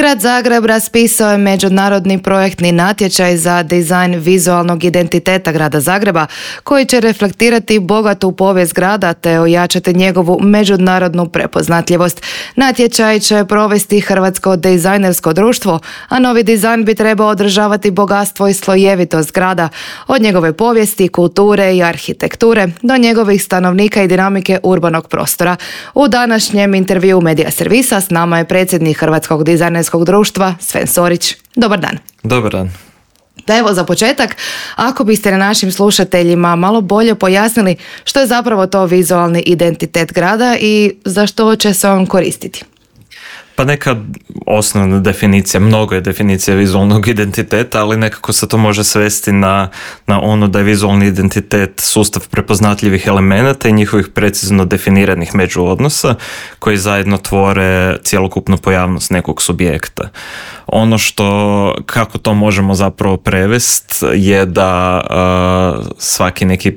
Grad Zagreb raspisao je međunarodni projektni natječaj za dizajn vizualnog identiteta grada Zagreba, koji će reflektirati bogatu povijest grada te ojačati njegovu međunarodnu prepoznatljivost. Natječaj će provesti Hrvatsko dizajnersko društvo, a novi dizajn bi trebao održavati bogatstvo i slojevitost grada, od njegove povijesti, kulture i arhitekture do njegovih stanovnika i dinamike urbanog prostora. U današnjem intervjuu Medija servisa s nama je predsjednik Hrvatskog dizajnerskog društva Sven Sorić. Dobar dan. Dobar dan. Da, evo za početak, ako biste našim slušateljima malo bolje pojasnili što je zapravo to vizualni identitet grada i za što će se on koristiti. Pa neka osnovna definicija, mnogo je definicija vizualnog identiteta, ali nekako se to može svesti na ono da je vizualni identitet sustav prepoznatljivih elemenata i njihovih precizno definiranih međuodnosa koji zajedno tvore cjelokupnu pojavnost nekog subjekta. Ono kako to možemo zapravo prevesti je da svaki neki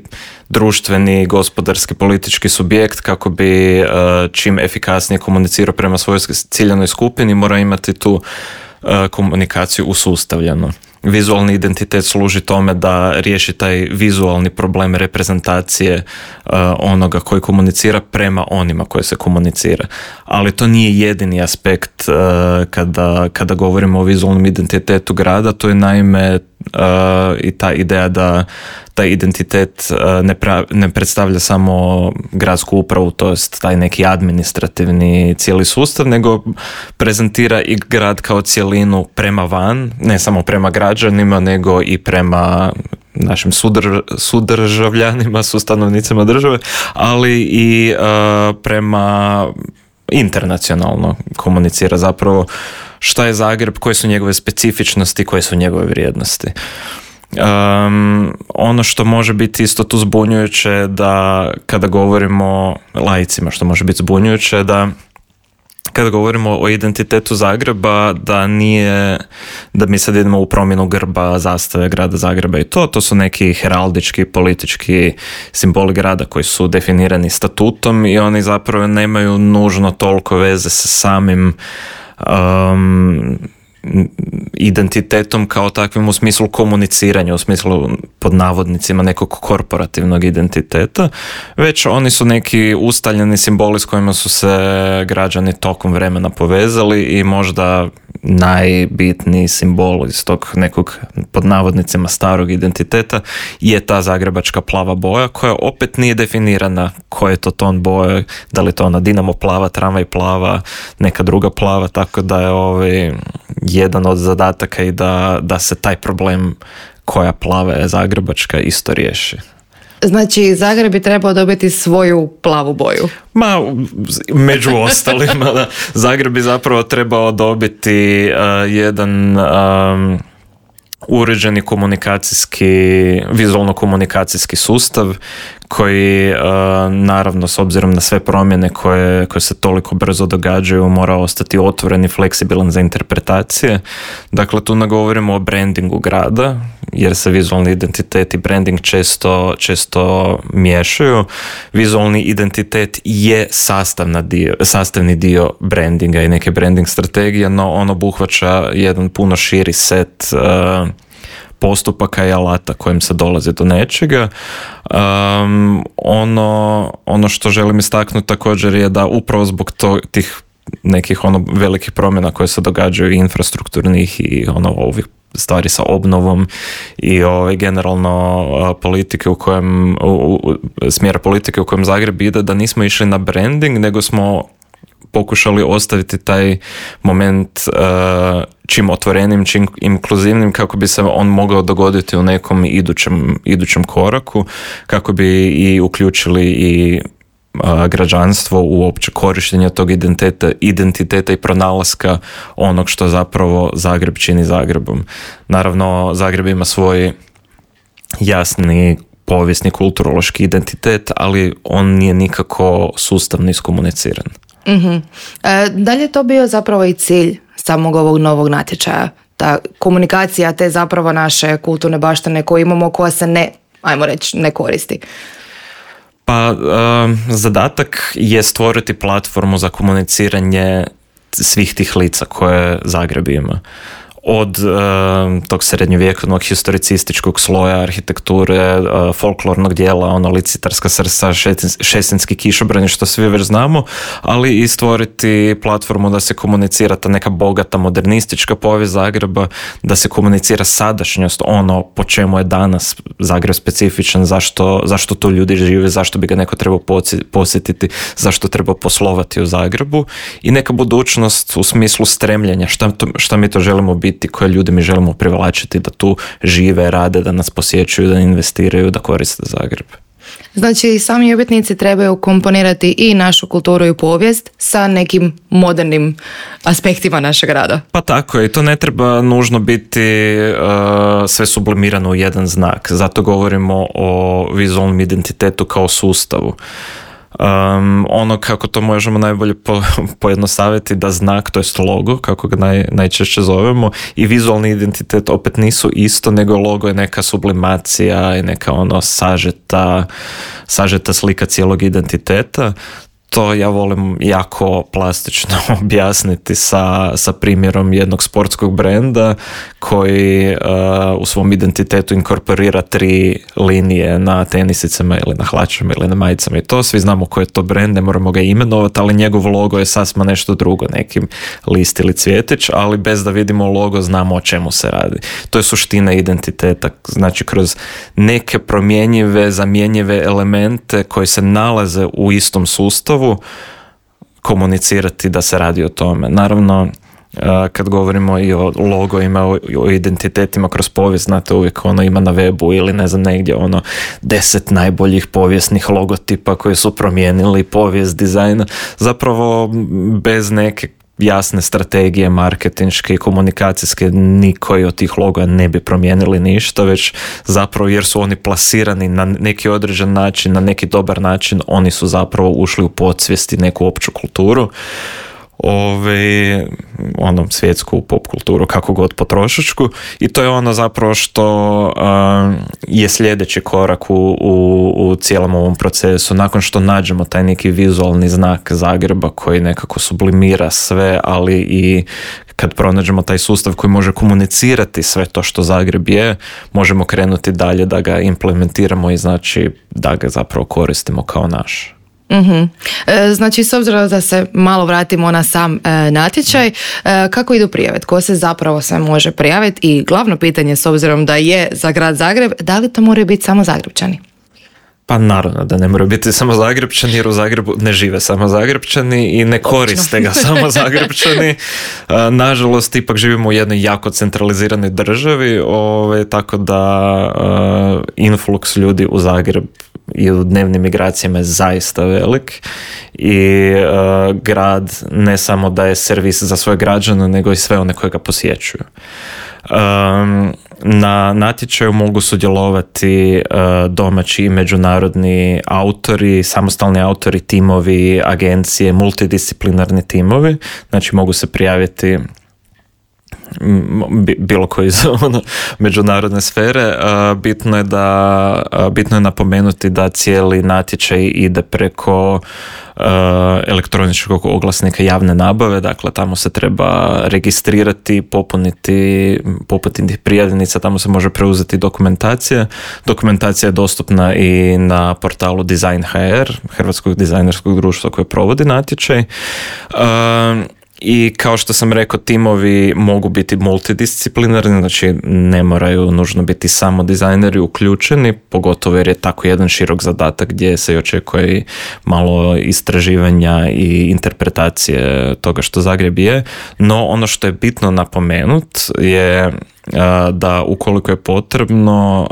društveni, gospodarski, politički subjekt kako bi čim efikasnije komunicirao prema svojoj ciljanoj skupini mora imati tu komunikaciju usustavljenu. Vizualni identitet služi tome da riješi taj vizualni problem reprezentacije onoga koji komunicira prema onima koje se komunicira. Ali to nije jedini aspekt kada govorimo o vizualnom identitetu grada, to je naime i ta ideja da taj identitet ne predstavlja samo gradsku upravu, to jest taj neki administrativni cijeli sustav, nego prezentira i grad kao cjelinu prema van, ne samo prema građanima, nego i prema našim sudržavljanima, sustanovnicima države, ali i prema internacionalno komunicira zapravo šta je Zagreb, koje su njegove specifičnosti, koje su njegove vrijednosti. Ono što može biti isto tu zbunjujuće da kada govorimo laicima, što može biti zbunjujuće da kada govorimo o identitetu Zagreba, da mi sad idemo u promjenu grba, zastave grada Zagreba i to su neki heraldički, politički simboli grada koji su definirani statutom i oni zapravo nemaju nužno toliko veze sa samim identitetom kao takvim u smislu komuniciranja, u smislu pod navodnicima nekog korporativnog identiteta, već oni su neki ustaljeni simboli s kojima su se građani tokom vremena povezali i možda najbitniji simbol iz tog nekog pod navodnicima starog identiteta je ta zagrebačka plava boja koja opet nije definirana koja je to ton boje, da li to ona Dinamo plava, tramvaj plava, neka druga plava, tako da je jedan od zadataka i da se taj problem koja plava je zagrebačka isto riješi. Znači, Zagreb bi trebao dobiti svoju plavu boju. Među ostalima, da. Zagreb bi zapravo trebao dobiti jedan uređeni vizualno-komunikacijski sustav koji naravno s obzirom na sve promjene koje se toliko brzo događaju mora ostati otvoren i fleksibilan za interpretacije. Dakle, tu ne govorimo o brandingu grada jer se vizualni identitet i branding često miješaju. Vizualni identitet je sastavni dio brandinga i neke branding strategije, no on obuhvaća jedan puno širi set postupaka i alata kojim se dolazi do nečega. Ono što želim istaknuti također je da upravo zbog tih nekih velikih promjena koje se događaju i infrastrukturnih i ovih stvari sa obnovom i generalno politike smjera politike u kojem Zagreb ide, da nismo išli na branding, nego smo pokušali ostaviti taj moment čim otvorenim, čim inkluzivnim kako bi se on mogao dogoditi u nekom idućem koraku, kako bi i uključili i građanstvo u opće korištenje tog identiteta i pronalaska onog što zapravo Zagreb čini Zagrebom. Naravno, Zagreb ima svoj jasni povijesni kulturološki identitet, ali on nije nikako sustavno iskomuniciran. Mm-hmm. Da li je to bio zapravo i cilj samog ovog novog natječaja? Ta komunikacija te zapravo naše kulturne baštine koje imamo, koja se ne koristi? Pa zadatak je stvoriti platformu za komuniciranje svih tih lica koje Zagreb ima. Od tog srednjovjekovnog historicističkog sloja arhitekture, folklornog dijela, ono licitarska srca, šestenski kišobrani, što svi već znamo, ali i stvoriti platformu da se komunicira ta neka bogata modernistička povijest Zagreba, da se komunicira sadašnjost, ono po čemu je danas Zagreb specifičan, zašto tu ljudi žive, zašto bi ga neko trebao posjetiti, zašto treba poslovati u Zagrebu, i neka budućnost u smislu stremljenja, šta mi to želimo biti, koje ljudi mi želimo privlačiti da tu žive, rade, da nas posjećuju, da investiraju, da koriste Zagreb. Znači, sami umjetnici trebaju komponirati i našu kulturu i povijest sa nekim modernim aspektima našeg rada. Pa tako je, i to ne treba nužno biti sve sublimirano u jedan znak. Zato govorimo o vizualnom identitetu kao sustavu. Ono kako to možemo najbolje pojednostaviti, da znak, to jest logo, kako ga najčešće zovemo, i vizualni identitet opet nisu isto, nego logo je neka sublimacija i neka ono sažeta slika cijelog identiteta. To ja volim jako plastično objasniti sa primjerom jednog sportskog brenda koji u svom identitetu inkorporira 3 linije na tenisicama ili na hlačama ili na majicama, i to svi znamo koji je to brend, ne moramo ga imenovati, ali njegov logo je sasma nešto drugo, neki list ili cvjetić, ali bez da vidimo logo znamo o čemu se radi. To je suština identiteta, znači kroz neke promjenjive, zamjenjive elemente koji se nalaze u istom sustavu komunicirati da se radi o tome. Naravno, kad govorimo i o logovima, o identitetima kroz povijest, znate, uvijek ono ima na webu ili ne znam negdje 10 najboljih povijesnih logotipa koji su promijenili povijest dizajna. Zapravo bez neke jasne strategije marketinške i komunikacijske nikoji od tih loga ne bi promijenili ništa, već zapravo jer su oni plasirani na neki određen način, na neki dobar način, oni su zapravo ušli u podsvijesti, neku opću kulturu, svjetsku pop kulturu, kako god potrošačku, i to je ono zapravo što je sljedeći korak u cijelom ovom procesu. Nakon što nađemo taj neki vizualni znak Zagreba koji nekako sublimira sve, ali i kad pronađemo taj sustav koji može komunicirati sve to što Zagreb je, možemo krenuti dalje da ga implementiramo i znači da ga zapravo koristimo kao naš. Mm-hmm. Znači, s obzirom da se malo vratimo na sam natječaj, kako idu prijave? Tko se zapravo sve može prijaviti? I glavno pitanje, s obzirom da je za grad Zagreb, da li to moraju biti samo Zagrebčani? Pa naravno da ne moraju biti samo Zagrebčani, jer u Zagrebu ne žive samo Zagrebčani i ne koriste ga samo Zagrebčani. Nažalost, ipak živimo u jednoj jako centraliziranoj državi, tako da influx ljudi u Zagreb i u dnevnim migracijama je zaista velik i grad ne samo da je servis za svoje građane, nego i sve one koje ga posjećuju. Na natječaju mogu sudjelovati domaći i međunarodni autori, samostalni autori, timovi, agencije, multidisciplinarni timovi, znači mogu se prijaviti bilo koji iz međunarodne sfere. Bitno je napomenuti da cijeli natječaj ide preko elektroničkog oglasnika javne nabave, dakle tamo se treba registrirati, popuniti prijavnica, tamo se može preuzeti dokumentacija. Dokumentacija je dostupna i na portalu Design.hr, Hrvatskog dizajnerskog društva koje provodi natječaj. I kao što sam rekao, timovi mogu biti multidisciplinarni, znači ne moraju nužno biti samo dizajneri uključeni, pogotovo jer je tako jedan širok zadatak gdje se očekuje i malo istraživanja i interpretacije toga što Zagreb je. No ono što je bitno napomenut je da ukoliko je potrebno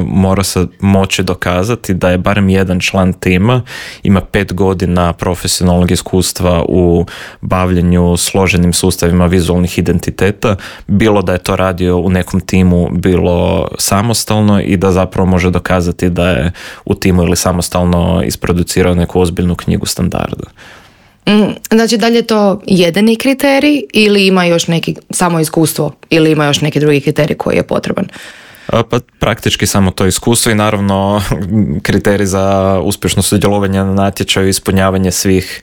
mora se moći dokazati da je barem jedan član tima ima 5 godina profesionalnog iskustva u bavljenju složenim sustavima vizualnih identiteta, bilo da je to radio u nekom timu, bilo samostalno, i da zapravo može dokazati da je u timu ili samostalno isproducirao neku ozbiljnu knjigu standarda. Znači, da li je to jedini kriterij ili ima još neki samo iskustvo ili ima još neki drugi kriterij koji je potreban? Pa praktički samo to iskustvo i naravno kriterij za uspješno sudjelovanje na natječaju i ispunjavanje svih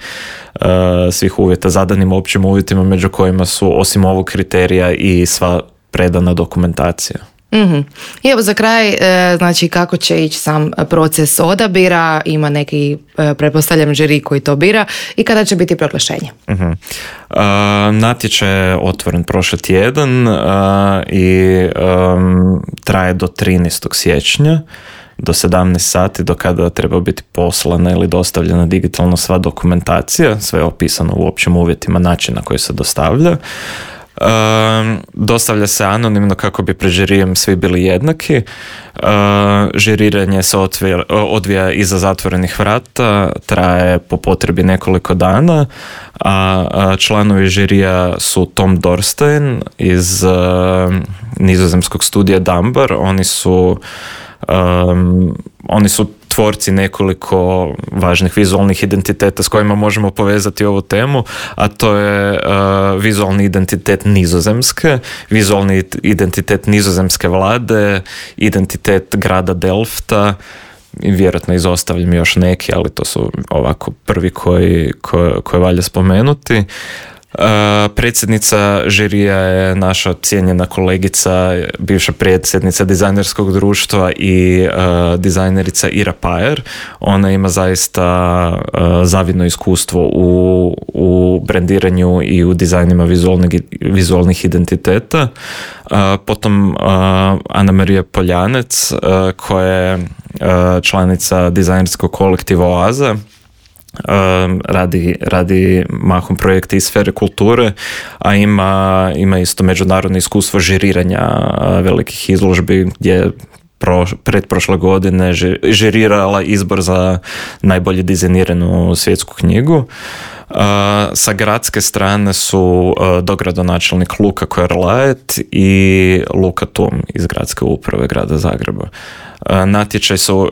uvjeta, zadanim općim uvjetima među kojima su osim ovog kriterija i sva predana dokumentacija. Mm-hmm. I evo za kraj, znači kako će ići sam proces odabira, ima neki, pretpostavljam, žiri koji to bira i kada će biti proglašenje? Mm-hmm. Natječaj je otvoren prošli tjedan i traje do 13. siječnja do 17 sati, do kada treba biti poslana ili dostavljena digitalno sva dokumentacija, sve je opisano u općim uvjetima, način na koji se dostavlja. Dostavlja se anonimno kako bi pred žirijem svi bili jednaki. Žiriranje se odvija iza zatvorenih vrata, traje po potrebi nekoliko dana, a članovi žirija su Tom Dorstein iz nizozemskog studija Dambar. Oni su tvorci nekoliko važnih vizualnih identiteta s kojima možemo povezati ovu temu, a to je vizualni identitet Nizozemske, vizualni identitet nizozemske vlade, identitet grada Delfta i vjerojatno izostavljam još neki, ali to su ovako prvi koje valja spomenuti. Predsjednica žirija je naša cijenjena kolegica, bivša predsjednica dizajnerskog društva i dizajnerica Ira Pajer. Ona ima zaista zavidno iskustvo u brendiranju i u dizajnima vizualnih identiteta. Potom Ana Marija Poljanec, koja je članica dizajnerskog kolektiva Oaza. Radi mahom projekte iz sfere kulture, a ima isto međunarodno iskustvo žiriranja velikih izložbi gdje je pretprošle godine žirirala izbor za najbolje dizajniranu svjetsku knjigu. Sa gradske strane su dogradonačelnik Luka Koerlaet i Luka Tum iz gradske uprave grada Zagreba. Natječaj su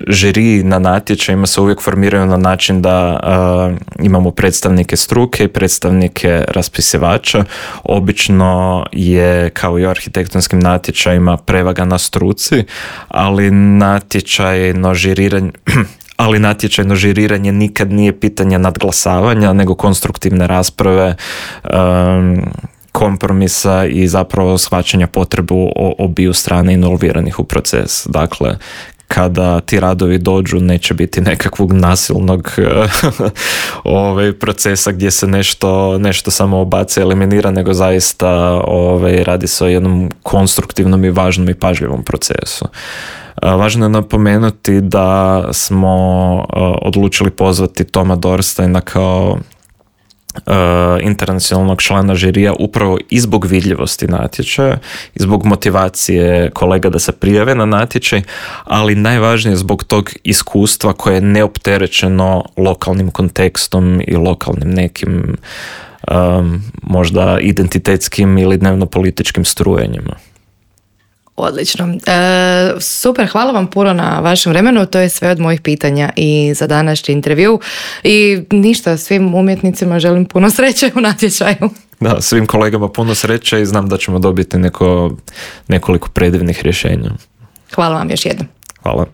žiri na natječajima se uvijek formiraju na način da imamo predstavnike struke i predstavnike raspisivača. Obično je, kao i u arhitektonskim natječajima, prevaga na struci, ali natječajno žiriranje nikad nije pitanje nadglasavanja, nego konstruktivne rasprave, kompromisa i zapravo shvaćanja potrebu obiju strane involviranih u proces. Dakle, kada ti radovi dođu, neće biti nekakvog nasilnog procesa gdje se nešto samo obaci, eliminira, nego zaista radi se o jednom konstruktivnom i važnom i pažljivom procesu. Važno je napomenuti da smo odlučili pozvati Toma Dorsteina kao internacionalnog člana žirija upravo i zbog vidljivosti natječaja i zbog motivacije kolega da se prijave na natječaj, ali najvažnije zbog tog iskustva koje je neopterećeno lokalnim kontekstom i lokalnim nekim možda identitetskim ili dnevno-političkim strujenjima. Odlično. Super, hvala vam puno na vašem vremenu. To je sve od mojih pitanja i za današnji intervju. I ništa, svim umjetnicima želim puno sreće u natječaju. Da, svim kolegama puno sreće i znam da ćemo dobiti nekoliko predivnih rješenja. Hvala vam još jednom. Hvala.